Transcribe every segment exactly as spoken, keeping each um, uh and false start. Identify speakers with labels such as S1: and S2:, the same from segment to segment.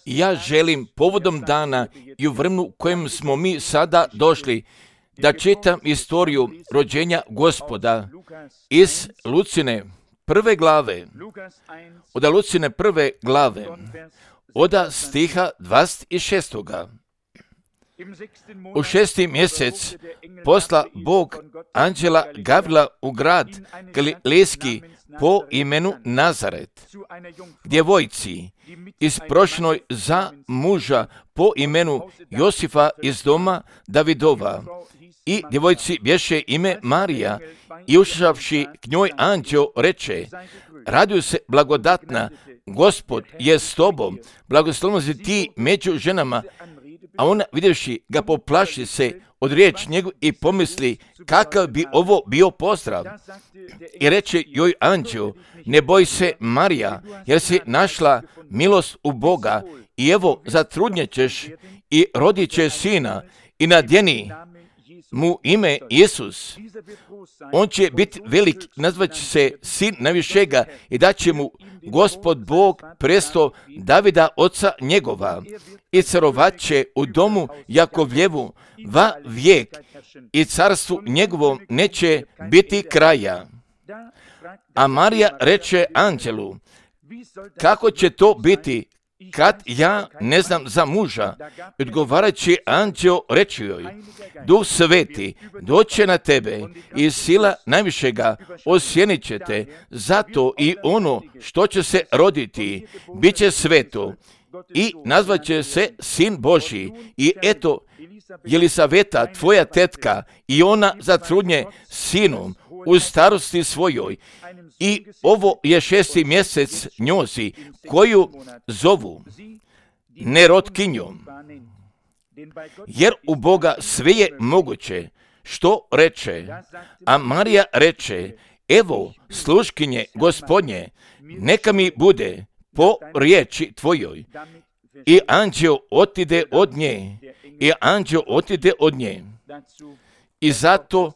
S1: Ja želim povodom dana i u vremenu u kojem smo mi sada došli da čitam istoriju rođenja Gospoda iz Lucine prve glave, od Lucine prve glave, od stiha dvadeset šestoga. U šesti mjesec posla Bog anđela Gavrila u grad Galilejski po imenu Nazaret, djevojci isprošenoj za muža po imenu Josifa iz doma Davidova. I djevojci bješe ime Marija, i ušavši k njoj anđeo reče: raduj se blagodatna, Gospod je s tobom, blagoslovna si ti među ženama. A ona, vidjevši ga, poplaši se od riječ njegu i pomisli kakav bi ovo bio pozdrav. I reče joj anđeo: ne boj se, Marija, jer si našla milost u Boga, i evo zatrudnjet ćeš i rodit će sina, i nadjeni mu ime Isus. On će biti velik, nazvat će se sin najvišega, i dat će mu Gospod Bog presto Davida oca njegova, i carovat će u domu Jakovljevu va vijek, i carstvu njegovom neće biti kraja. A Marija reče anđelu: kako će to biti, kad ja ne znam za muža? Odgovarajući anđeo reče joj: Duh Sveti doće na tebe i sila najvišega osjenit će te, zato i ono što će se roditi bit će sveto i nazvat će se Sin Božji. I eto, Jelisaveta, tvoja tetka, i ona zatrudnje sinom u starosti svojoj, i ovo je šesti mjesec njozi, koju zovu nerotkinjom, jer u Boga sve je moguće. Što reče? A Marija reče: evo, sluškinje Gospodnje, neka mi bude po riječi tvojoj. I anđeo otide od nje, i anđeo otide od nje. I zato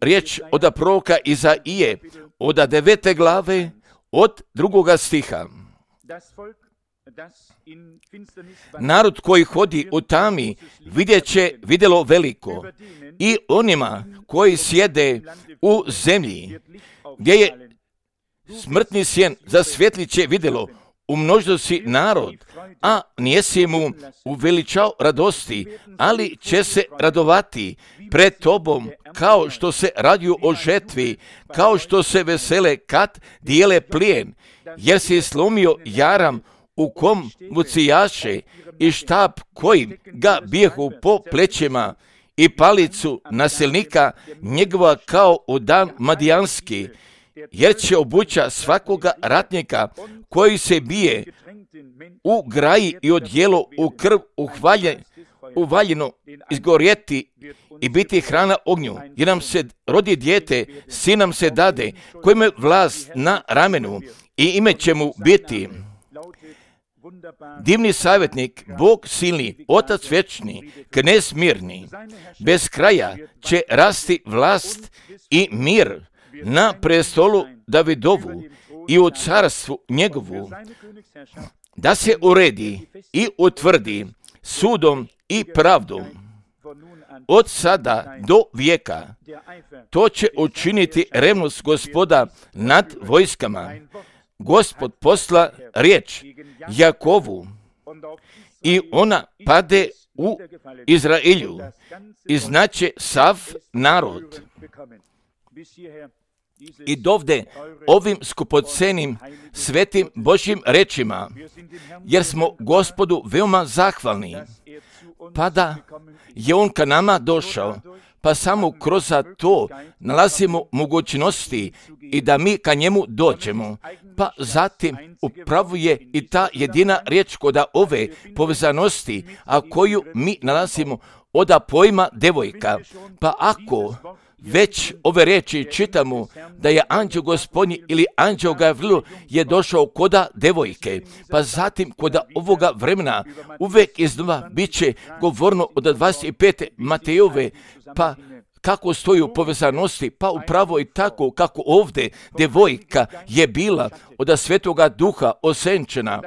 S1: riječ od proroka Izaije, od devete glave, od drugoga stiha. Narod koji hodi u tami vidjet će vidjelo veliko, i onima koji sjede u zemlji gdje je smrtni sjen zasvjetlit će vidjelo. Umnožio si narod, a nijesi mu uveličao radosti, ali će se radovati pred tobom, kao što se raduju o žetvi, kao što se vesele kad dijele plijen, jer si slomio jaram u kom vucijaše i štap kojim ga bijehu po plećima, i palicu nasilnika njegova kao u dan madijanski, jer će obuća svakoga ratnika koji se bije u graji i odjelo u krv uhvalje, uvaljeno izgorjeti i biti hrana ognju, jer nam se rodi dijete, sin nam se dade, koji ima vlast na ramenu, i ime će mu biti divni savjetnik, Bog silni, Otac vječni, Knez mirni. Bez kraja će rasti vlast i mir na prestolu Davidovu i u carstvu njegovu, da se uredi i utvrdi sudom i pravdom od sada do vijeka. To će učiniti revnost Gospoda nad vojskama. Gospod posla riječ Jakovu, i ona pade u Izraelju, i znaće sav narod. I dovde ovim skupocenim svetim Božjim rečima, jer smo Gospodu veoma zahvalni, pa da je On ka nama došao, pa samo kroz to nalazimo mogućnosti i da mi ka njemu dođemo. Pa zatim upravo je i ta jedina riječ kod ove povezanosti, a koju mi nalazimo od pojma devojka. Pa ako već ove riječi čitamo da je anđeo Gospodnji ili anđeo Gavrilo je došao koda devojke, pa zatim koda ovoga vremena uvijek iznova bit će govorno od dvadeset pete Matejove, pa kako stoji u povezanosti, pa upravo i tako kako ovdje devojka je bila od Svetoga Duha osenčena.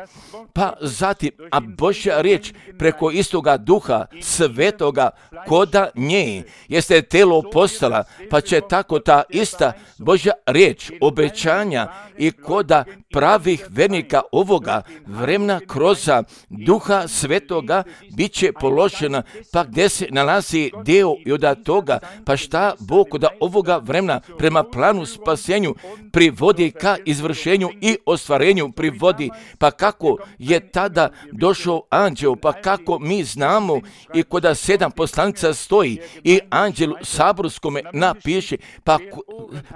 S1: Pa zatim, a Božja riječ preko istoga Duha Svetoga koda nje jeste telo postala, pa će tako ta ista Božja riječ obećanja i koda pravih vernika ovoga vremena kroz Duha Svetoga bit će položena, pa gdje se nalazi dio i od toga, pa šta Bog od ovoga vremena prema planu spasenju privodi ka izvršenju i ostvarenju privodi, pa kako je tada došao anđel, pa kako mi znamo i koda sedam poslanica stoji i anđelu saborskome napiše, pa,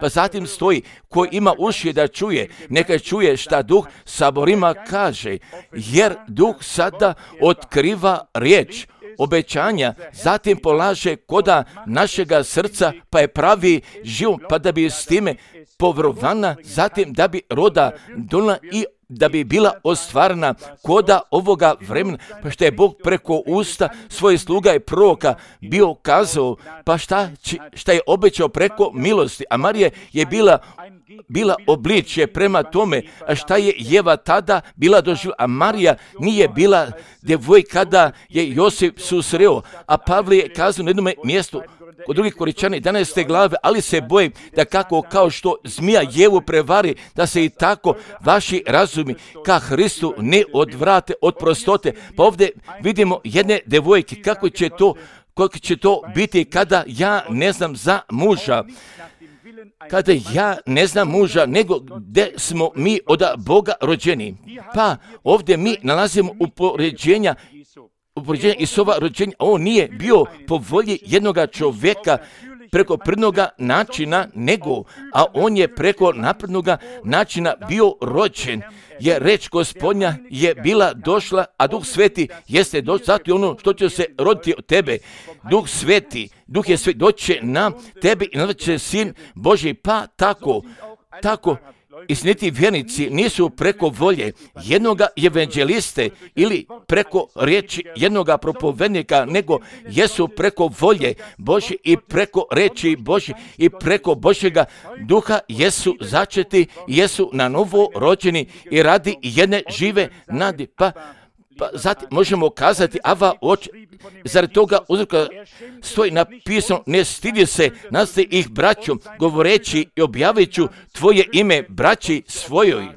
S1: pa zatim stoji ko ima uši da čuje, neka čuje šta Duh saborima kaže, jer Duh sada otkriva riječ obećanja, zatim polaže koda našega srca, pa je pravi život, pa da bi s time povrovana, zatim da bi roda donala i da bi bila ostvarena koda ovoga vremena, pa što je Bog preko usta svojih sluga i proroka bio kazao, pa šta, šta je obećao preko milosti, a Marija je bila bila obličje prema tome, a šta je Jeva tada bila doživjela, a Marija nije bila djevojka kada je Josip susreo, a Pavle je kazao na jednom mjestu kod drugih Koričana jedanaeste glave, ali se bojim da kako kao što zmija Jevu prevari, da se i tako vaši razumi ka Hristu ne odvrate od prostote. Pa ovdje vidimo jedne djevojke, kako će to, kako će to biti kada ja ne znam za muža. Kada ja ne znam muža, nego gdje smo mi od Boga rođeni. Pa ovdje mi nalazimo upoređenja, upoređenja Isova rođenja. On nije bio po volji jednoga čovjeka preko prirodnoga načina, nego, a on je preko naprednoga načina bio rođen. Jer reč Gospodnja je bila došla, a Duh Sveti jeste došao, zato je ono što će se roditi od tebe. Duh Sveti, Duh je sve doće na tebe i nazvat će Sin Božji, pa tako, tako, istiniti vjernici nisu preko volje jednoga evanđeliste ili preko riječi jednoga propovednika, nego jesu preko volje Božje i preko riječi Božje i preko Božjega Duha jesu začeti, jesu na novo rođeni i radi jedne žive nade. Pa, pa zatim možemo kazati, ava oči, zaradi toga uzroka stoji napisano, ne stidi se, nastavi ih braćom, govoreći i objavit ću tvoje ime braći svojoj.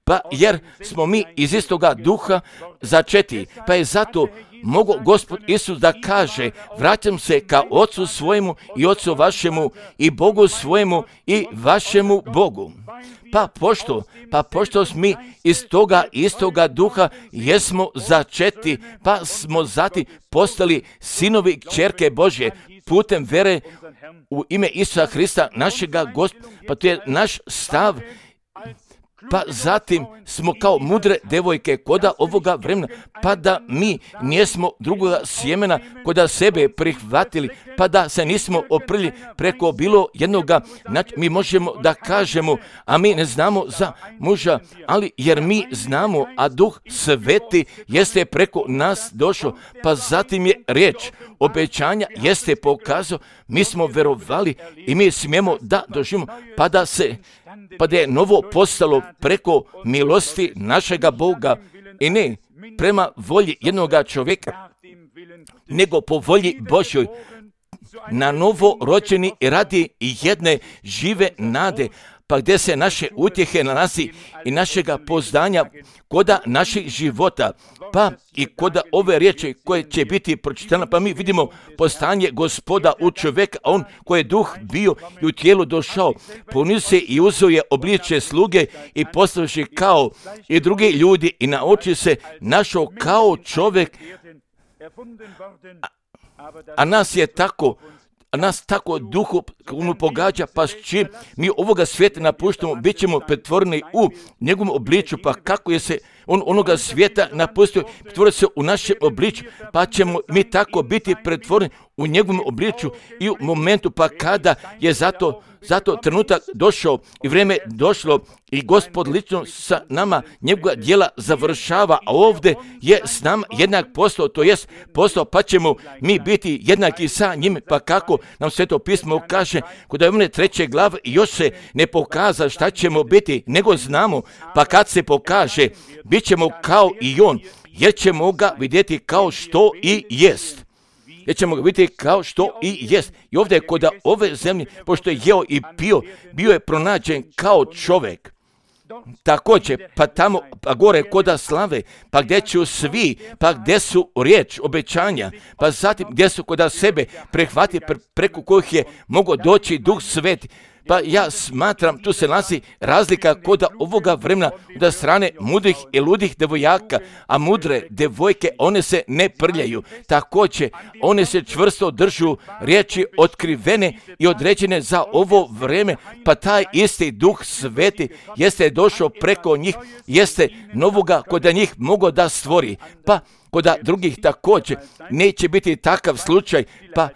S1: Pa jer smo mi iz istoga Duha začeti, pa je zato mogo Gospod Isus da kaže, vraćam se ka Ocu svojemu i Ocu vašemu i Bogu svojemu i vašemu Bogu. Pa pošto, pa pošto smo mi iz toga istoga Duha jesmo začeti, pa smo zatim postali sinovi i kćerke Božje putem vere u ime Isusa Hrista našega Gospoda, pa to je naš stav. Pa zatim smo kao mudre devojke koda ovoga vremena, pa da mi nismo drugoga sjemena koda sebe prihvatili, pa da se nismo oprli preko bilo jednoga, mi možemo da kažemo, a mi ne znamo za muža, ali jer mi znamo, a Duh Sveti jeste preko nas došao, pa zatim je riječ obećanja jeste pokazao, mi smo verovali i mi smijemo da doživimo, pa da se pa da je novo postalo preko milosti našega Boga i ne prema volji jednoga čovjeka, nego po volji Božjoj, na novo rođeni radi jedne žive nade, pa gdje se naše utjehe nalazi i našega poznanja koda naših života, pa i koda ove riječi koje će biti pročitane, pa mi vidimo postanje Gospoda u čovjeka, on koji je duh bio i u tijelu došao, ponio se i uzeo je obličje sluge i postavši kao i drugi ljudi i na oči se našao kao čovjek, a, a nas je tako A nas tako duhu pogađa, pa s čim mi ovoga svijeta napuštamo, bit ćemo pretvoreni u njegovom obličju, pa kako je se on onoga svijeta napustio, pretvorio se u našem obličju, pa ćemo mi tako biti pretvoreni u njegovom obličju i u momentu pa kada je zato, zato trenutak došao i vrijeme došlo i Gospod lično sa nama njegova djela završava, a ovdje je s nama jednak postao, to jest postao, pa ćemo mi biti jednaki sa njim, pa kako nam Sveto pismo kaže kod Ivane treće glave još se ne pokaza šta ćemo biti, nego znamo, pa kad se pokaže, bit ćemo kao i on, jer ćemo ga vidjeti kao što i jest. Jer ćemo ga vidjeti kao što i jest. I ovdje je kod ove zemlje, pošto je jeo i pio, bio je pronađen kao čovjek. Također, pa tamo, pa gore koda slave, pa gdje ću svi, pa gdje su riječ, obećanja, pa zatim gdje su koda sebe prehvati pre, preko kojih je mogao doći Duh Sveti. Pa ja smatram, tu se nalazi razlika kod ovoga vremena od strane mudrih i ludih devojaka, a mudre devojke, one se ne prljaju. Također, one se čvrsto držu riječi otkrivene i određene za ovo vrijeme, pa taj isti Duh Sveti jeste došao preko njih, jeste novoga kod njih mogao da stvori, pa kod drugih također neće biti takav slučaj, pa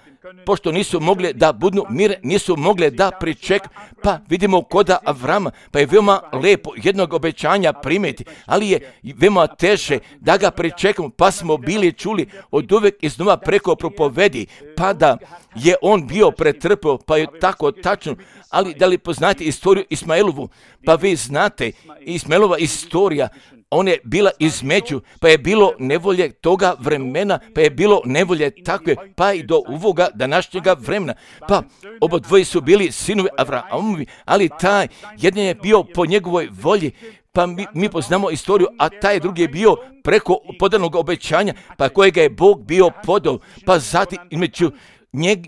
S1: pošto nisu mogli da budu mire, nisu mogli da priček, pa vidimo koda Avrama, pa je veoma lepo jednog obećanja primiti, ali je veoma teže da ga pričekamo, pa smo bili čuli od uvek iznova preko propovedi, pa da je on bio pretrpeo, pa je tako tačno, ali da li poznate istoriju Ismailovu, pa vi znate, Ismailova istorija, ona je bila između, pa je bilo nevolje toga vremena, pa je bilo nevolje takve, pa i do ovoga današnjega vremena. Pa obodvoji su bili sinovi Avrahamovi, ali taj jedan je bio po njegovoj volji, pa mi, mi poznamo istoriju, a taj drugi je bio preko podanog obećanja, pa kojega je Bog bio podao, pa zatim između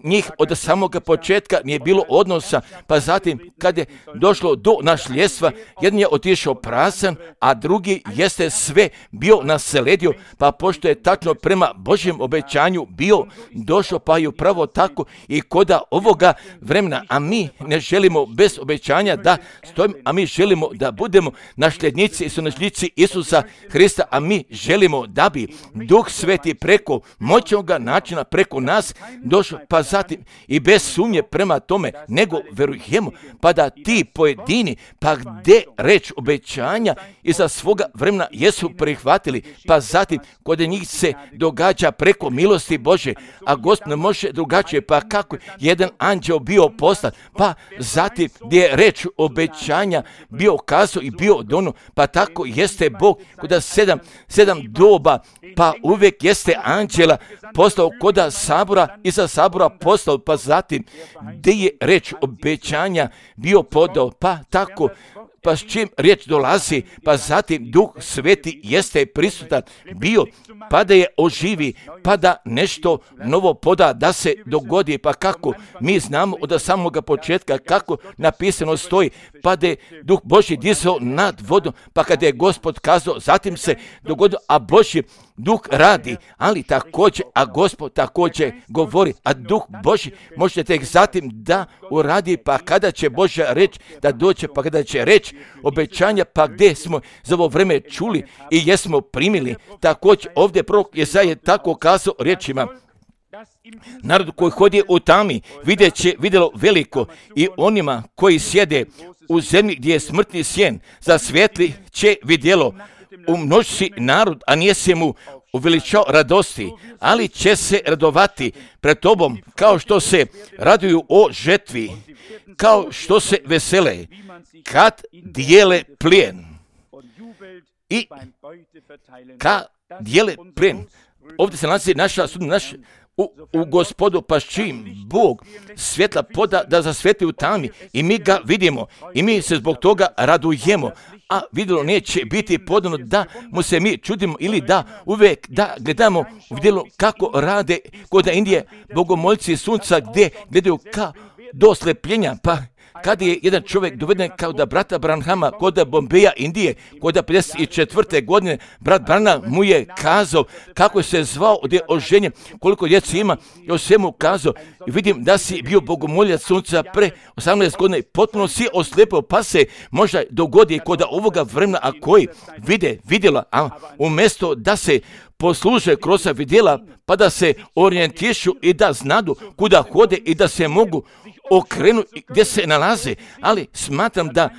S1: njih od samoga početka nije bilo odnosa, pa zatim kad je došlo do našljedstva, jedan je otišao prazan, a drugi jeste sve bio nasledio, pa pošto je tačno prema Božjem obećanju bio došao, pa i upravo tako i koda ovoga vremena, a mi ne želimo bez obećanja da stojimo, a mi želimo da budemo nasljednici i sunasljednici Isusa Hrista, a mi želimo da bi Duh Sveti preko moćnoga načina preko nas došao, pa zatim i bez sumnje prema tome, nego verujemo, pa da ti pojedini, pa gdje reč obećanja iza svoga vremena jesu prihvatili, pa zatim kod njih se događa preko milosti Bože, a Gospod ne može drugačije, pa kako jedan anđeo bio poslan, pa zatim gdje je reč obećanja bio kazao i bio dono, pa tako jeste Bog kod sedam, sedam doba, pa uvijek jeste anđela poslao kod sabora, iza sabora poslao, pa zatim gdje je reč obećanja bio podao, pa tako, pa s čim riječ dolazi, pa zatim Duh Sveti jeste prisutan bio, pa da je oživi, pa da nešto novo poda, da se dogodi, pa kako mi znamo od samoga početka kako napisano stoji, pa da je Duh Božji dizao nad vodom, pa kada je Gospod kazao, zatim se dogodilo, a Božji Duh radi, ali također, a Gospod također govori, a Duh Božji možete tek zatim da uradi, pa kada će Božja reč da dođe, pa kada će reč obećanja, pa gdje smo za ovo vreme čuli i jesmo primili, također ovdje prorok Jesaja tako kazao riječima, narod koji hodi u tami vidjet će vidjelo veliko i onima koji sjede u zemlji gdje je smrtni sjen, za svijetli će vidjelo. Umnoži narod, a nije se mu uveličao radosti, ali će se radovati pred tobom kao što se raduju o žetvi, kao što se vesele kad dijele plijen. I kad dijele plijen. Ovdje se nalazi naša sudna, naš U, u Gospodu, pa s čim Bog svjetla poda da zasveti u tami i mi ga vidimo i mi se zbog toga radujemo, a vidjelo neće biti podano da mu se mi čudimo ili da uvijek da gledamo u vidjelo kako rade kod Indije bogomolci sunca gdje gledaju ka do slepljenja, pa kada je jedan čovjek doveden kao da brata Branhama kod Bombeja, Indije, kod pedeset četvrte godine, brat Branham mu je kazao kako se zvao, gdje je oženjen, koliko djece ima, i o svemu kazao. I vidim da si bio bogomoljac sunca pre osamnaest godina i potpuno si oslijepio, pa se možda dogodi kod ovoga vremena, a koji vide, vidjela, a umjesto da se posluže kroz vidjela, pa da se orijentišu i da znadu kuda hode i da se mogu okrenu gdje se nalaze, ali smatram da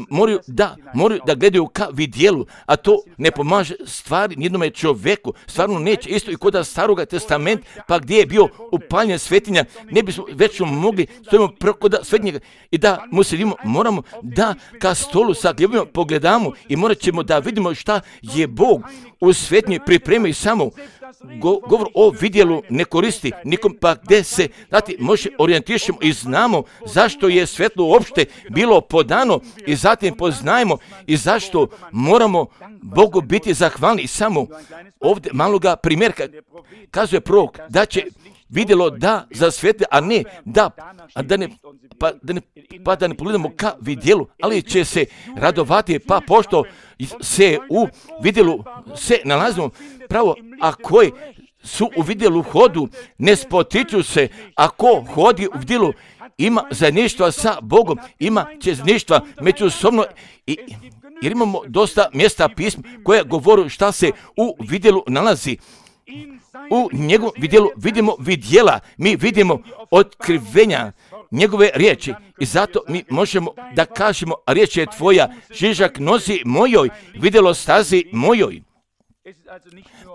S1: moraju da, moraju da gledaju ka vidjelu, a to ne pomaže stvari nijednome čovjeku, stvarno neće, isto i kod Staroga testamenta, pa gdje je bio upaljen svetinja, ne bismo već mogli, stojimo kod svetinjega i da mu se vidimo, moramo da ka stolu sa gljubima pogledamo i morat ćemo da vidimo šta je Bog u svetinji pripremi samo. Go, govor o vidjelu ne koristi nikom, pa gdje se dati može orijentišemo i znamo zašto je svetlo uopšte bilo podano i zatim poznajemo i zašto moramo Bogu biti zahvalni. I samo ovdje maloga primjerka kazuje prorok da će vidjelo da za svete, a ne da, a da ne, pa da ne, pa da ne pogledamo ka vidjelu, ali će se radovati, pa pošto se u vidjelu se nalazimo pravo, a koji su u vidjelu hodu, ne spotiču se, a ko hodi u vidjelu ima zajedništva sa Bogom, ima će zajedništva međusobno, i, jer imamo dosta mjesta pisma koja govore šta se u vidjelu nalazi. U njegovom vidjelu vidimo vidjela, mi vidimo otkrivenja njegove riječi i zato mi možemo da kažemo, riječ je tvoja, žižak nozi mojoj, vidjelo stazi mojoj.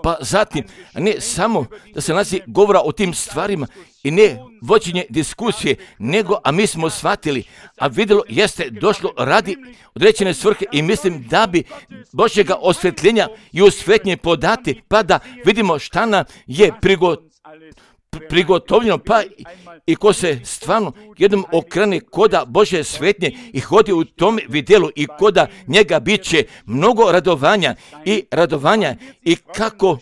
S1: Pa zatim, ne samo da se nalazi govora o tim stvarima i ne vođenje diskusije, nego, a mi smo shvatili, a vidjelo jeste došlo radi određene svrhe i mislim da bi Božjega osvjetljenja i osvjetljenje podati, pa da vidimo šta nam je prigotovljeno. prigotovljeno, pa i ko se stvarno jednom okrene koda Božje svetnje i hodi u tom vidjelu i koda njega bit će mnogo radovanja i radovanja i kako,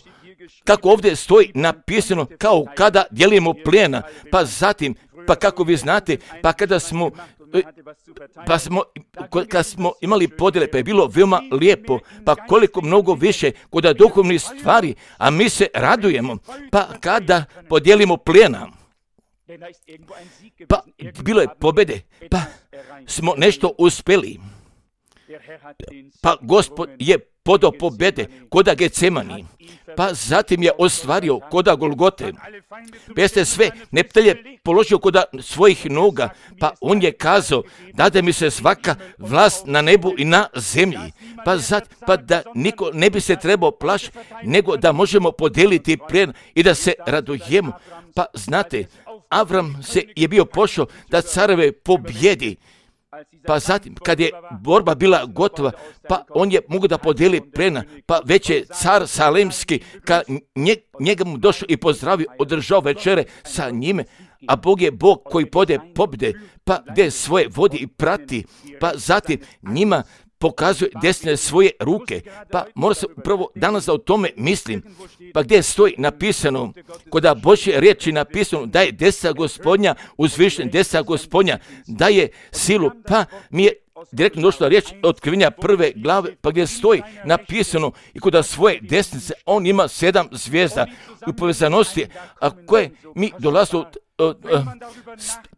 S1: kako ovdje stoji napisano kao kada dijelimo plijena, pa zatim, pa kako vi znate, pa kada smo Pa smo, kad smo imali podjele, pa je bilo veoma lijepo, pa koliko mnogo više kod duhovnih stvari, a mi se radujemo, pa kada podijelimo plijena, pa bilo je pobjede, pa smo nešto uspjeli, pa Gospod je podao pobjede koda Getsemani, pa zatim je ostvario koda Golgote, pa jeste sve neptelje položio koda svojih noga, pa on je kazao, dade mi se svaka vlast na nebu i na zemlji, pa, zat, pa da niko ne bi se trebao plašiti, nego da možemo podijeliti plijen i da se radujemo. Pa znate, Avram se je bio pošao da careve pobjedi, pa zatim, kad je borba bila gotova, pa on je mogu da podijeli plena, pa već je car Salemski, kad nje, njega mu došao i pozdravio, održao večere sa njime, a Bog je Bog koji pode pobjede, pa gdje svoje vodi i prati, pa zatim njima pokazuje desne svoje ruke, pa mora se upravo danas da o tome mislim, pa gdje stoji napisano, koda Božje riječi napisano da je desna Gospodnja uzvišen, desna Gospodnja daje silu, pa mi je direktno došla riječ otkrivenja prve glave, pa gdje stoji napisano i koda svoje desnice on ima sedam zvijezda u povezanosti, a koje mi dolazimo.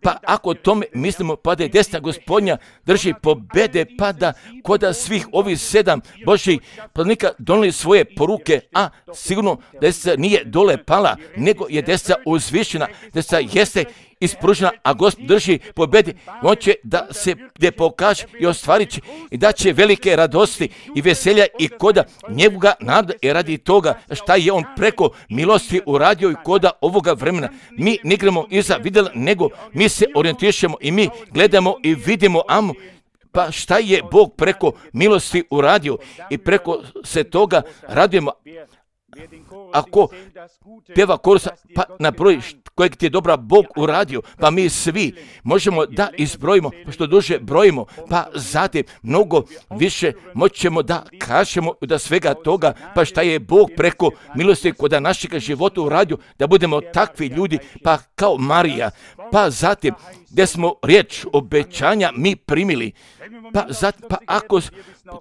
S1: Pa ako o tome mislimo, pa da je desna Gospodnja drži pobjede, pa da koda svih ovih sedam Božjih planika donijeli svoje poruke, a sigurno desna nije dole pala, nego je desna uzvišena, desna jeste ispružena, a Gospod drži pobjede, on će da se gdje pokaže i ostvarit će i da će velike radosti i veselja i koda njega nada i radi toga šta je on preko milosti uradio i koda ovoga vremena. Mi ne igramo iza vidjela, nego mi se orijentišemo i mi gledamo i vidimo amo, pa šta je Bog preko milosti uradio i preko se toga radujemo. Ako pjeva korusa, pa na broj kojeg ti je dobra Bog uradio, pa mi svi možemo da izbrojimo, pa što duže brojimo, pa zatim mnogo više moćemo da kažemo da svega toga, pa šta je Bog preko milosti kod našeg života uradio, da budemo takvi ljudi, pa kao Marija, pa zatim gdje smo riječ obećanja mi primili, pa, zat, pa ako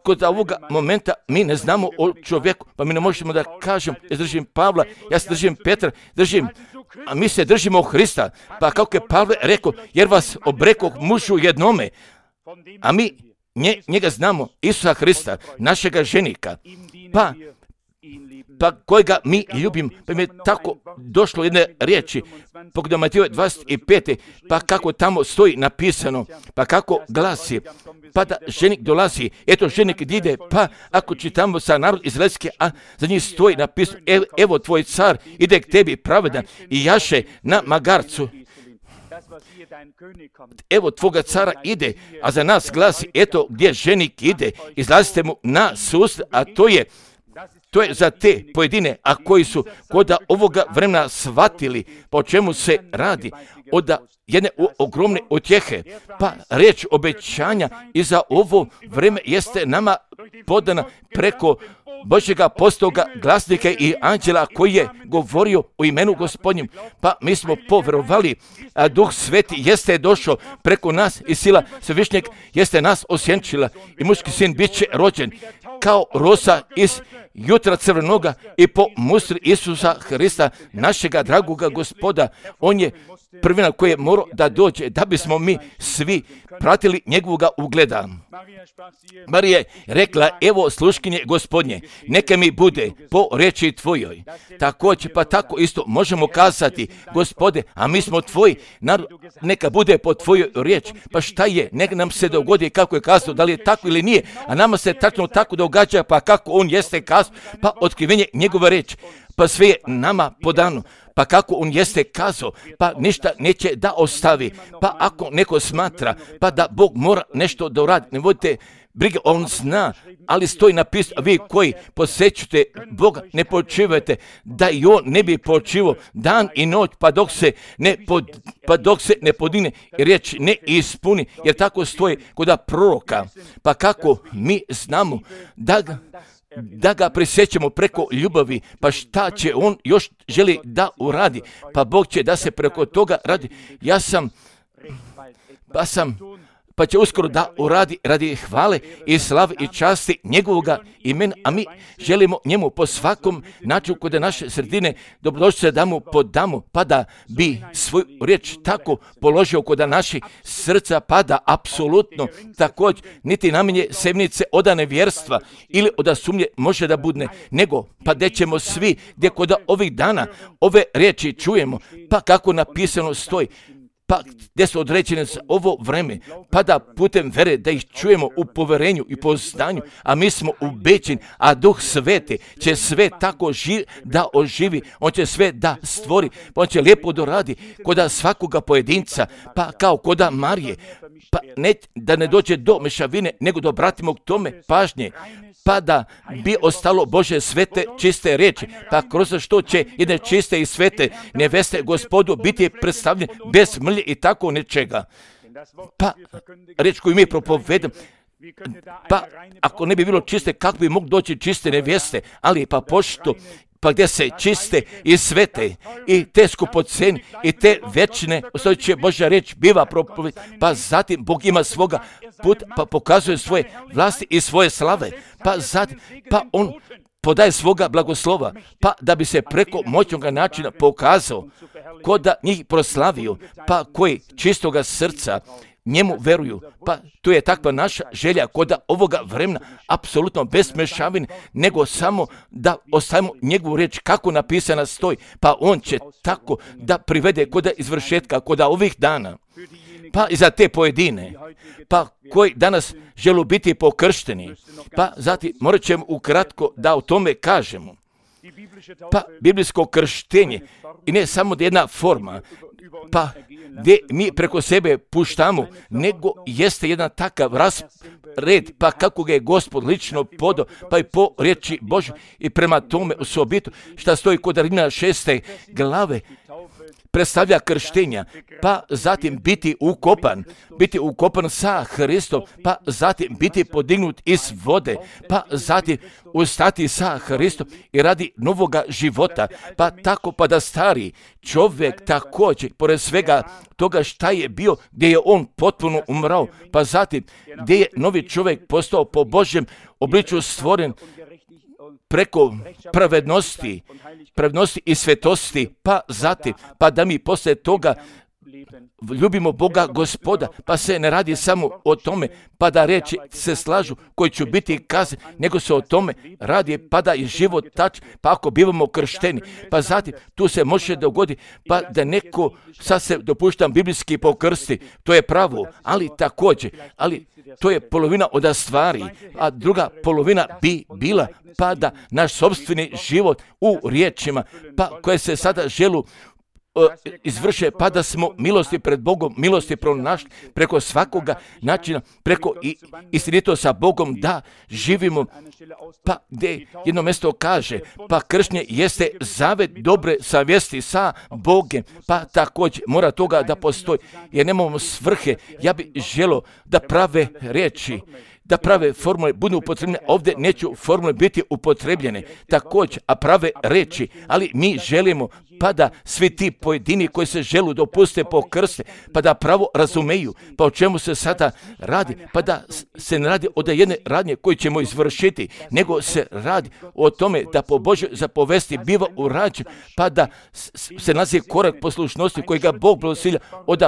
S1: kod ovoga momenta mi ne znamo o čovjeku, pa mi ne možemo da kažem, ja držim Pavla, ja se držim Petra, držim, a mi se držimo Hrista, pa kako je Pavle rekao, jer vas obrekoh mužu jednome, a mi nje, njega znamo, Isusa Hrista, našega ženika, pa pa kojega mi ljubim, pa mi je tako došlo jedne riječi, pogledaj Matiju dvadeset pet, pa kako tamo stoji napisano, pa kako glasi, pa da ženik dolazi, eto ženik ide, pa ako čitamo sa narod izraelski, a za njih stoji napisano, evo, evo tvoj car ide k tebi pravedan i jaše na magarcu. Evo tvoga cara ide, a za nas glasi, eto gdje ženik ide, izlazite mu na susret, a to je To je za te pojedine, a koji su kod ovoga vremena shvatili po čemu se radi, od jedne ogromne utjehe, pa riječ obećanja i za ovo vreme jeste nama podana preko Božjega apostola, glasnika i anđela koji je govorio u imenu Gospodnjem, pa mi smo povjerovali, a Duh Sveti jeste došao preko nas i sila Svevišnjeg jeste nas osjenčila i muški sin bit će rođen kao rosa iz jutra crvenoga i po mustri Isusa Hrista, našega dragoga Gospoda. On je prvina koji je morao da dođe, da bismo mi svi pratili njegovoga ugleda. Marija je rekla, evo sluškinje Gospodnje, neka mi bude po reči tvojoj. Također, pa tako isto možemo kazati, Gospode, a mi smo tvoji, neka bude po tvojoj riječi. Pa šta je, neka nam se dogodi kako je kazao, da li je tako ili nije, a nama se tačno tako događa, pa kako on jeste kazao, pa otkrivenje njegove riječi, pa sve je nama podano. Pa kako on jeste kazao, pa ništa neće da ostavi. Pa ako neko smatra, pa da Bog mora nešto da uradi, ne vodite brige, on zna, ali stoji napisano, vi koji posjećujete Boga, ne počivajte, da i on ne bi počivao dan i noć, pa dok se ne, pod, pa dok se ne podine i riječ ne ispuni, jer tako stoji kod proroka. Pa kako mi znamo da ga da ga prisjećamo preko ljubavi, pa šta će on još želi da uradi, pa Bog će da se preko toga radi. Ja sam, pa sam, pa će uskoro da uradi radi hvale i slave i časti njegovoga imena, a mi želimo njemu po svakom načinu kod naše sredine dobrodošli da mu podamo, pa da bi svoju riječ tako položio kod naših srca, pa da apsolutno također niti namenje semnice od nevjerstva ili od sumnje može da budne, nego pa gdje ćemo svi, gdje kod ovih dana ove riječi čujemo, pa kako napisano stoji, pa gdje su određene za ovo vreme, pa da putem vere da ih čujemo u poverenju i poznanju, a mi smo ubeđeni, a Duh Sveti će sve tako živ, da oživi, on će sve da stvori, on će lijepo doradi kod svakoga pojedinca, pa kao kod Marije, pa ne, da ne dođe do mešavine, nego da obratimo k tome pažnje, pa da bi ostalo Bože svete čiste riječi, pa kroz što će jedne čiste i svete neveste Gospodu biti predstavljene bez mrlje i tako nečega. Pa riječ koju mi propovedamo, pa ako ne bi bilo čiste, kako bi mogli doći čiste neveste, ali pa pošto pa gdje se čiste i svete i te skupoceni i te večne, ostajuće Božja riječ biva propoved, pa zatim Bog ima svoga puta, pa pokazuje svoje vlasti i svoje slave, pa zatim, pa on podaje svoga blagoslova, pa da bi se preko moćnoga načina pokazao, ko da njih proslavio, pa koji čistoga srca njemu veruju, pa to je takva naša želja kod ovoga vremena, apsolutno bez mešavine, nego samo da ostavimo njegovu riječ kako napisana stoji, pa on će tako da privede kod izvršetka kod ovih dana. Pa i za te pojedine, pa koji danas žele biti pokršteni, pa zatim morat ćemo ukratko da o tome kažemo. Pa biblijsko krštenje i ne samo da jedna forma, pa gdje mi preko sebe puštamo, nego jeste jedan takav raspored, pa kako ga je Gospod lično podao, pa i po riječi Božje i prema tome osobito, šta stoji kod Rimljana šeste glave, predstavlja krštenja, pa zatim biti ukopan, biti ukopan sa Hristom, pa zatim biti podignut iz vode, pa zatim ustati sa Hristom i radi novoga života, pa tako pa da stari čovjek također, pored svega toga šta je bio, gdje je on potpuno umrao, pa zatim gdje je novi čovjek postao po Božjem obličju stvoren preko pravednosti, pravednosti i svetosti, pa zatim, pa da mi poslije toga ljubimo Boga Gospoda, pa se ne radi samo o tome, pa da reći se slažu koji će biti kazni, nego se o tome radi, pa da je život tač, pa ako bivamo kršteni, pa zatim tu se može dogoditi, pa da neko, sad se dopuštam biblijski pokrsti, to je pravo, ali također, ali to je polovina od stvari, a druga polovina bi bila, pa da naš sopstveni život u riječima, pa koje se sada želu izvrše, pa da smo milosti pred Bogom, milosti pronašli preko svakoga načina, preko i istinito sa Bogom da živimo, pa gdje jedno mjesto kaže, pa krštenje jeste zavet dobre savjesti sa Bogom, pa također mora toga da postoji, jer nemamo svrhe. Ja bih želio da prave riječi, da prave formule budu upotrebljene, ovdje neću formule biti upotrebljene, također, a prave reči, ali mi želimo pa da svi ti pojedini koji se želu dopuste po krste, pa da pravo razumeju, pa o čemu se sada radi, pa da se ne radi od jedne radnje koju ćemo izvršiti, nego se radi o tome da po Božoj zapovesti biva urađen, pa da se nalazi korak poslušnosti koji ga Bog blagoslivlja od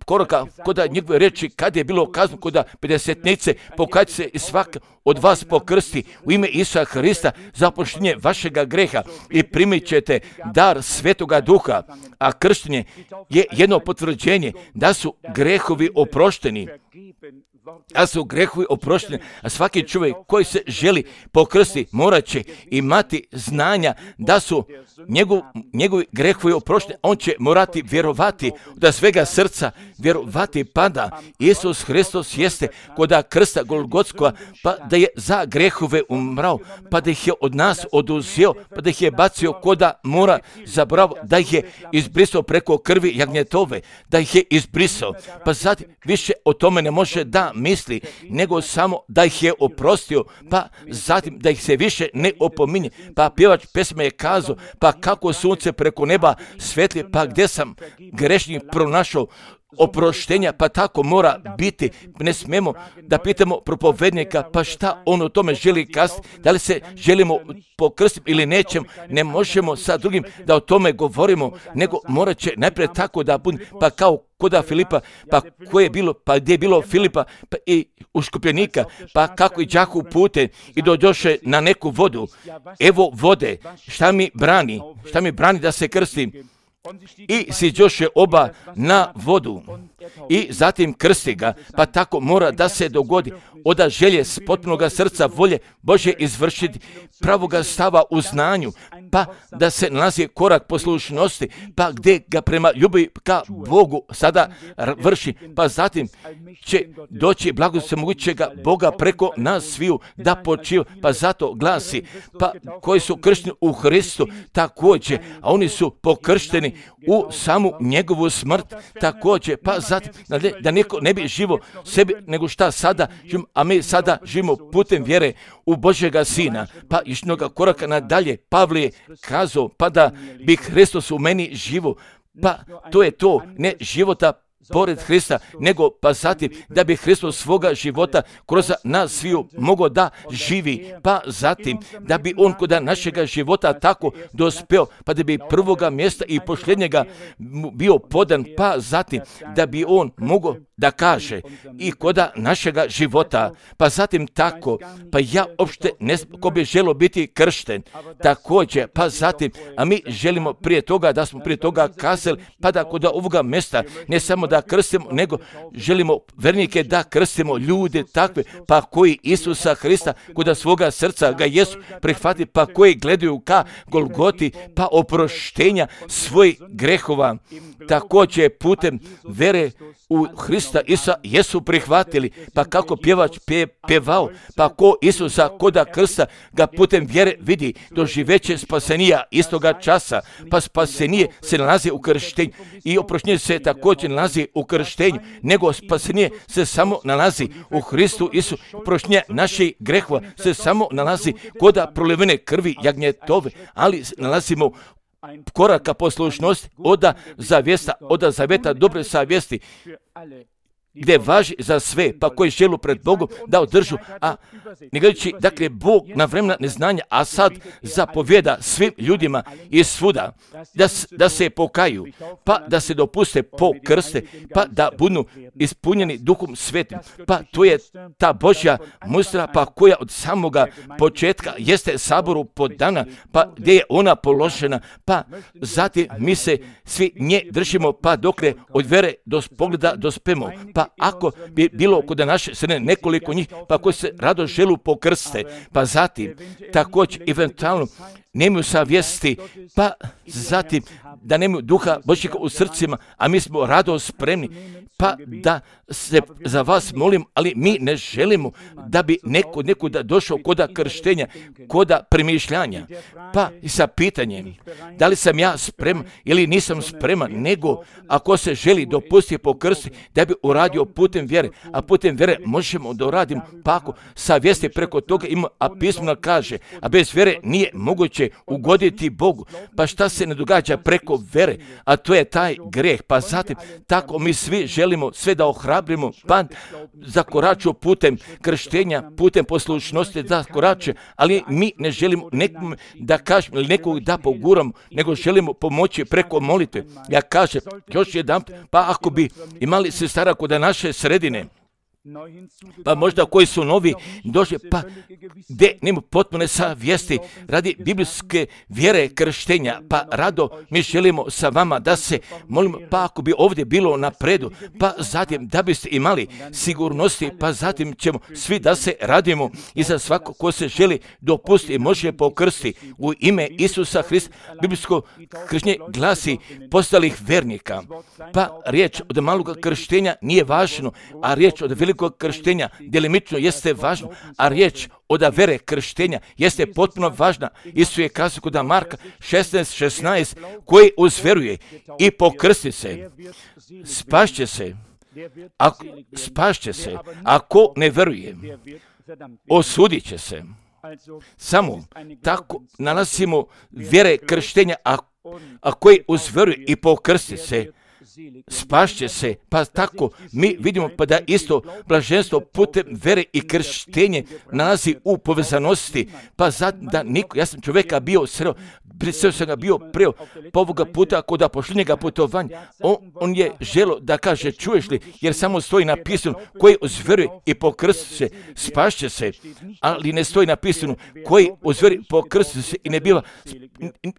S1: koraka koda njegove reči kad je bilo kazno koda pedesetnice, pokaj se i svak od vas pokrsti u ime Isusa Hrista za oproštenje vašega greha i primit ćete dar Svetoga Duha, a krštenje je jedno potvrđenje da su grehovi oprošteni. A su grehovi oprošteni, a svaki čovjek koji se želi pokrsti morat će imati znanja da su njegov, njegovi grehovi oprošteni. On će morati vjerovati da svega srca vjerovati pa da Isus Hristos jeste koda krsta Golgotskova, pa da je za grehove umrao, pa da ih je od nas oduzeo, pa da ih je bacio koda mora zabravo, da ih je izbrisao preko krvi jagnjetove, da ih je izbrisao, pa zatim više o tome ne može da misli, nego samo da ih je oprostio, pa zatim da ih se više ne opominje. Pa pjevač pesme je kazao, pa kako sunce preko neba svetli, pa gdje sam grešnik pronašao oproštenja, pa tako mora biti. Ne smemo da pitamo propovednika, pa šta on o tome želi kazati, da li se želimo pokrstiti ili nećemo, ne možemo sa drugim da o tome govorimo, nego morat će najprije tako da bude, pa kao koda Filipa, pa koje je bilo, pa gdje je bilo Filipa pa i uškupljenika, pa kako i đaku pute i dođoše na neku vodu, evo vode, šta mi brani, šta mi brani da se krstim? I siđoše oba na vodu i zatim krsti ga, pa tako mora da se dogodi oda želje s potpunoga srca volje Bože izvršiti pravoga stava u znanju, pa da se nalazi korak poslušnosti, pa gdje ga prema ljubavi ka Bogu sada vrši, pa zatim će doći blagost svemogućega Boga preko nas sviju da počiva, pa zato glasi, pa koji su kršteni u Hristu također, a oni su pokršteni u samu njegovu smrt također, pa zatim da neko ne bi živo sebi nego šta sada živimo, a mi sada živimo putem vjere u Božjega Sina, pa išnoga koraka nadalje Pavle je kazao, pa da bi Hristos u meni živo, pa to je to, ne života pored Hrista, nego pa zatim da bi Hristos svoga života kroz nas sviju mogao da živi, pa zatim da bi on kod našega života tako dospeo, pa da bi prvoga mjesta i posljednjega bio podan, pa zatim da bi on mogao da kaže i koda našega života, pa zatim tako, pa ja uopšte ne ko bi želio biti kršten, također, pa zatim, a mi želimo prije toga da smo prije toga kazali, pa da kod ovoga mjesta ne samo da krstimo, nego želimo vernike da krstimo ljude takve, pa koji Isusa Hrista kod svoga srca ga jesu prihvati, pa koji gledaju ka Golgoti, pa oproštenja svojih grehova, također putem vere u Hrista Isusa jesu prihvatili, pa kako pjevač pje, pjevao, pa ko Isusa koda krsta ga putem vjere vidi, doživeće spasenija istoga časa, pa spasenije se nalazi u krštenju i oproštenje se također nalazi u krštenju, nego spasenije se samo nalazi u Hristu Isu, oproštenje naših grehova se samo nalazi koda prolivene krvi jagnjetove, ali nalazimo koraka poslušnosti oda zavjesta, oda zavjeta dobre savjesti, gdje važi za sve, pa koji želu pred Bogom da održu, a ne gledajući, dakle, Bog na vremena neznanja, a sad zapovjeda svim ljudima i svuda da, da se pokaju, pa da se dopuste po krste, pa da budu ispunjeni Duhom Svetim, pa to je ta Božja mustra, pa koja od samoga početka jeste saboru podana, pa gdje je ona položena, pa zatim mi se svi nje držimo, pa dokle od vere do pogleda dospemo, pa ako bi bilo kod naše sredine nekoliko njih, pa koji se rado želu pokrste, pa zatim također eventualno nemaju savjesti, pa zatim da nemaju duha Božjega u srcima, a mi smo rado spremni, pa da se za vas molim, ali mi ne želimo da bi neko nekuda došao koda krštenja, koda premišljanja, pa i sa pitanjem da li sam ja spreman ili nisam spreman, nego ako se želi dopustiti pokrsti da bi uradio putem vjere, a putem vjere možemo da uradimo, pa ako savjesti preko toga ima, a pismo kaže, a bez vjere nije moguće ugoditi Bogu, pa šta se ne događa preko vjere, a to je taj greh, pa zatim tako mi svi želimo sve da ohrabrimo, pa zakoraču putem krštenja, putem poslušnosti da korače, ali mi ne želimo nekom da kažemo ili nekog da poguramo, nego želimo pomoći preko molitve. Ja kažem još jedan, pa ako bi imali sestara kod naše sredine, pa možda koji su novi došli, pa gdje nema potpune savjesti radi biblijske vjere krštenja, pa rado mi želimo sa vama da se molimo, pa ako bi ovdje bilo napredu, pa zatim da biste imali sigurnosti, pa zatim ćemo svi da se radimo i za svako ko se želi dopustiti može pokrsti u ime Isusa Hrista. Biblijsko krštenje glasi postalih vernika, pa riječ od malog krštenja nije važno, a riječ od velikog krštenja delimično jeste važno, a riječ od vere krštenja jeste potpuno važna. Isus je kazao kod Marka šesnaest šesnaest, koji uzveruje i pokrsti se, spašće se, ako, spašće se, ako ne veruje, osudit će se. Samo tako nalazimo vjere krštenja, a, a koji uzveruje i pokrsti se, spašće se, pa tako mi vidimo pa da isto blaženstvo putem vere i krštenje nalazi u povezanosti, pa zato da niko, ja sam čovjeka bio sreo, sreo sam ga bio preo, pa ovoga puta kod pošljenjega putovanja, on, on je želo da kaže, čuješ li, jer samo stoji napisano, koji uzveruje i pokrsti se, spašće se, ali ne stoji napisano, koji uzveruje i pokrsti se i ne biva,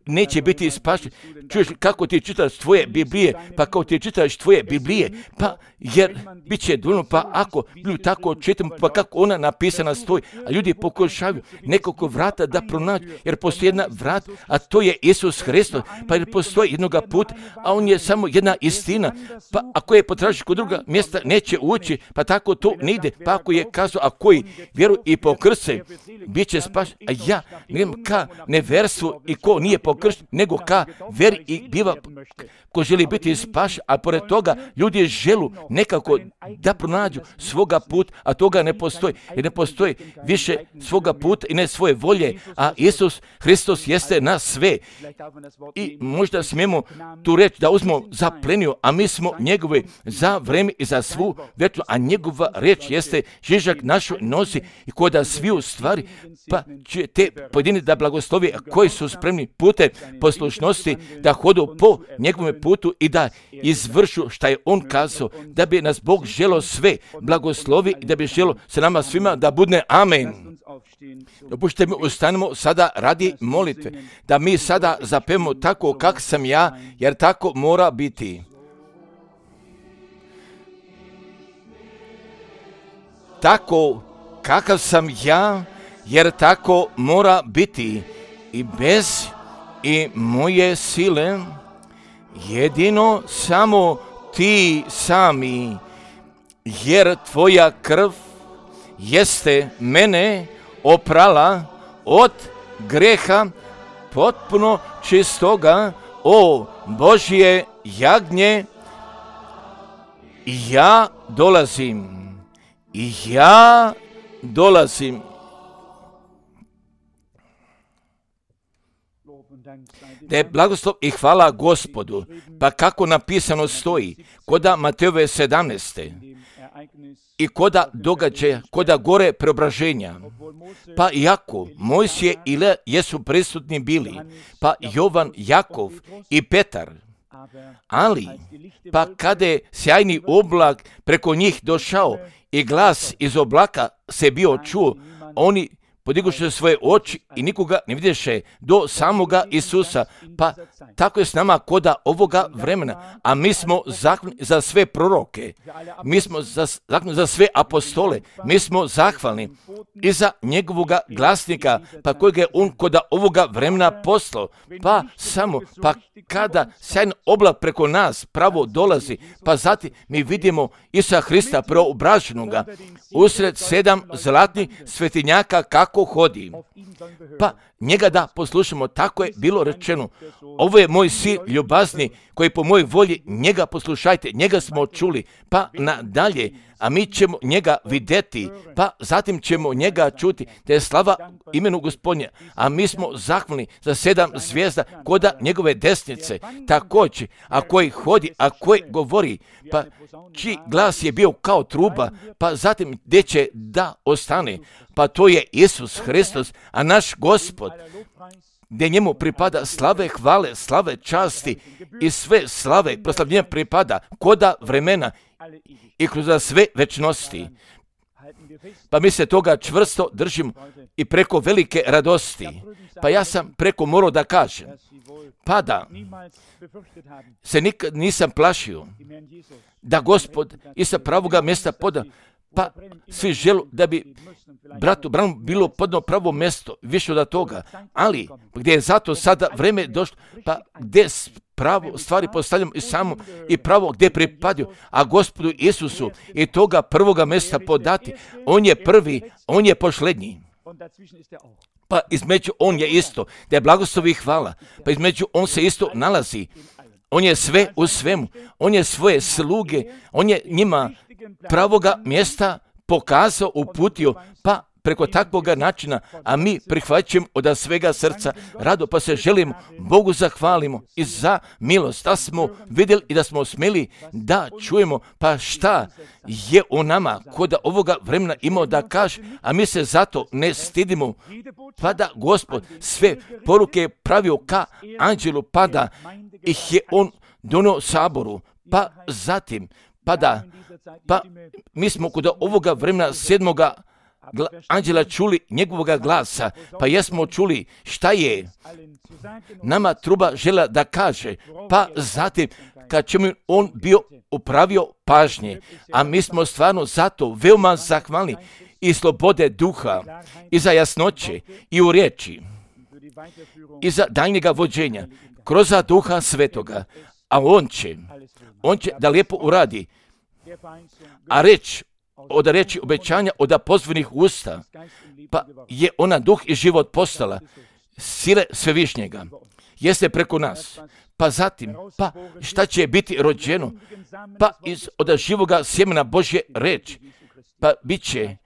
S1: neće biti spašen. Čuješ li kako ti čitaš tvoje Biblije, pa kao ti čitaš tvoje Biblije, pa jer bit će dovoljno, pa ako ljudi tako čitamo, pa kako ona napisana stoji, a ljudi pokušavaju nekoliko vrata da pronađu, jer postoji jedna vrat, a to je Isus Hristos, pa jer postoji jednoga puta, a on je samo jedna istina, pa ako je potražiš kod druga mjesta, neće ući, pa tako to ne ide, pa ako je kazao, a koji vjeruju i pokrste, bit će spašen, a ja nemam ka neverstvu i ko nije pokršten, nego ka veri i biva, ko želi biti spašen, a pored toga ljudi želu nekako da pronađu svoga puta, a toga ne postoji, jer ne postoji više svoga puta i ne svoje volje, a Isus Hristos jeste na sve. I možda smijemo tu reći da uzmemo za pleniju, a mi smo njegovi za vreme i za svu večnu, a njegova reč jeste žižak našu nosi i koda sviju stvari, pa će te pojedini da blagoslovi koji su spremni putem poslušnosti da hodu po njegovom putu i da izvršu šta je on kazao, da bi nas Bog želo sve blagoslovi i da bi želo se nama svima da budne amen. Dopustite mi ustanemo sada radi molitve, da mi sada zapevamo tako kak sam ja, jer tako mora biti. tako kakav sam ja, jer tako mora biti i bez i moje sile, jedino samo ti sami, jer tvoja krv jeste mene oprala od greha potpuno čistoga, o Božje jagnje. Ja dolazim, ja dolazim. Da je blagoslov i hvala Gospodu, pa kako napisano stoji, koda Matejove sedamnaeste i koda događaja, koda gore preobraženja, pa iako Mojsije i Ilija jesu prisutni bili, pa Jovan, Jakov i Petar, ali pa kada je sjajni oblak preko njih došao i glas iz oblaka se bio čuo, oni podignuše svoje oči i nikoga ne vidješe do samoga Isusa. Pa tako je s nama koda ovoga vremena, a mi smo zahvalni za sve proroke, mi smo zahvalni za sve apostole, mi smo zahvalni i za njegovoga glasnika, pa kojega je on koda ovoga vremena poslao. Pa samo, pa kada sjajan oblak preko nas pravo dolazi, pa zatim mi vidimo Isusa Hrista preobraženoga usred sedam zlatnih svetinjaka kako hodi. Pa njega da poslušamo, tako je bilo rečeno. Ovo je moj sin ljubazni koji po mojoj volji, njega poslušajte, njega smo čuli, pa nadalje, a mi ćemo njega vidjeti, pa zatim ćemo njega čuti, da je slava imenu Gospodnja, a mi smo zahvalni za sedam zvijezda koda njegove desnice, također, a koji hodi, a koji govori, pa čiji glas je bio kao truba, pa zatim gdje će da ostane, pa to je Isus Hristos, a naš Gospod, gdje njemu pripada slave, hvale, slave, časti i sve slave, proslavljenja pripada koda vremena i kroz sve večnosti. Pa mi se toga čvrsto držimo i preko velike radosti. Pa ja sam preko morao da kažem, pa da se nikad nisam plašio da Gospod i sa pravoga mjesta poda, pa svi želu da bi bratu Branu bilo podno pravo mjesto, više od toga, ali gdje je zato sada vreme došlo, pa gdje pravo stvari postavljamo i samo i pravo gdje pripadaju, a Gospodu Isusu i toga prvoga mjesta podati, on je prvi, on je posljednji. Pa između on je isto, da je blagoslov i hvala, pa između on se isto nalazi, on je sve u svemu, on je svoje sluge, on je njima pravoga mjesta pokazao, uputio, pa preko takvoga načina, a mi prihvaćamo od svega srca rado, pa se želimo, Bogu zahvalimo i za milost, da smo vidjeli i da smo smjeli da čujemo, pa šta je u nama koda ovoga vremena imao da kaže, a mi se zato ne stidimo, pa da Gospod sve poruke pravio ka anđelu, pa da ih je on donio saboru, pa zatim, pa da, pa mi smo kod ovoga vremena sedmoga gla, anđela čuli njegovoga glasa, pa jesmo čuli šta je nama truba žela da kaže, pa zatim kad će mi on bio upravio pažnje, a mi smo stvarno zato veoma zahvalni i slobode duha, i za jasnoće, i u riječi, i za daljnjega vođenja, kroz duha svetoga, a on će, on će da lijepo uradi, a reč, od reći obećanja, od pozvanih usta, pa je ona duh i život postala, sile svevišnjega, jeste preko nas, pa zatim, pa šta će biti rođeno, pa iz od živoga sjemena Božje reč, pa bit će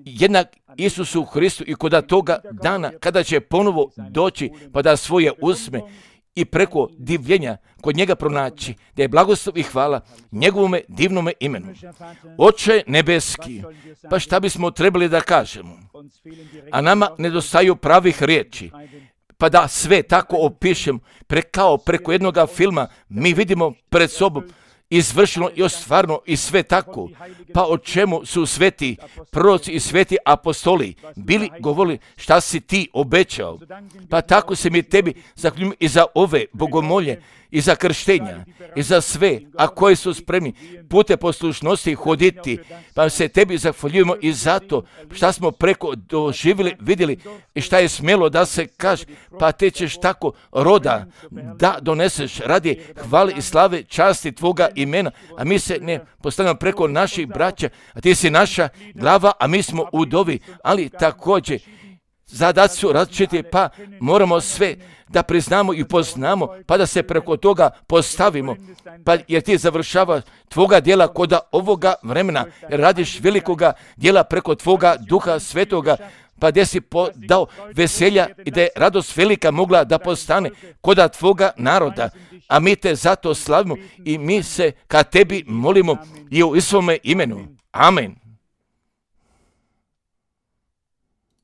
S1: jednak Isusu Hristu i kod toga dana, kada će ponovo doći, pa da svoje uzme i preko divljenja kod njega pronaći, da je blagoslov i hvala njegovome divnome imenu. Oče nebeski, pa šta bismo trebali da kažemo? A nama nedostaju pravih riječi, pa da sve tako opišem, pre, kao preko jednoga filma, mi vidimo pred sobom izvršeno i ostvarno i sve tako, pa o čemu su sveti proroci i sveti apostoli bili govorili šta si ti obećao, pa tako se mi tebi zahvaljujem i za ove bogomolje i za krštenja i za sve, a koji su spremni pute poslušnosti hoditi, pa se tebi zahvaljujemo i zato šta smo preko doživjeli, vidjeli i šta je smjelo da se kaže, pa te ćeš tako roda da doneseš radi hvale i slave časti tvoga imena, a mi se ne postavljamo preko naših braća, a ti si naša glava, a mi smo udovi, ali također zadaci su različiti, pa moramo sve da priznamo i poznamo, pa da se preko toga postavimo, pa jer ti završava tvoga djela kod ovoga vremena, jer radiš velikoga djela preko tvoga Duha Svetoga, pa gdje si dao veselja i da je radost velika mogla da postane kod tvoga naroda, a mi te zato slavimo i mi se ka tebi molimo i u svome imenu. Amen.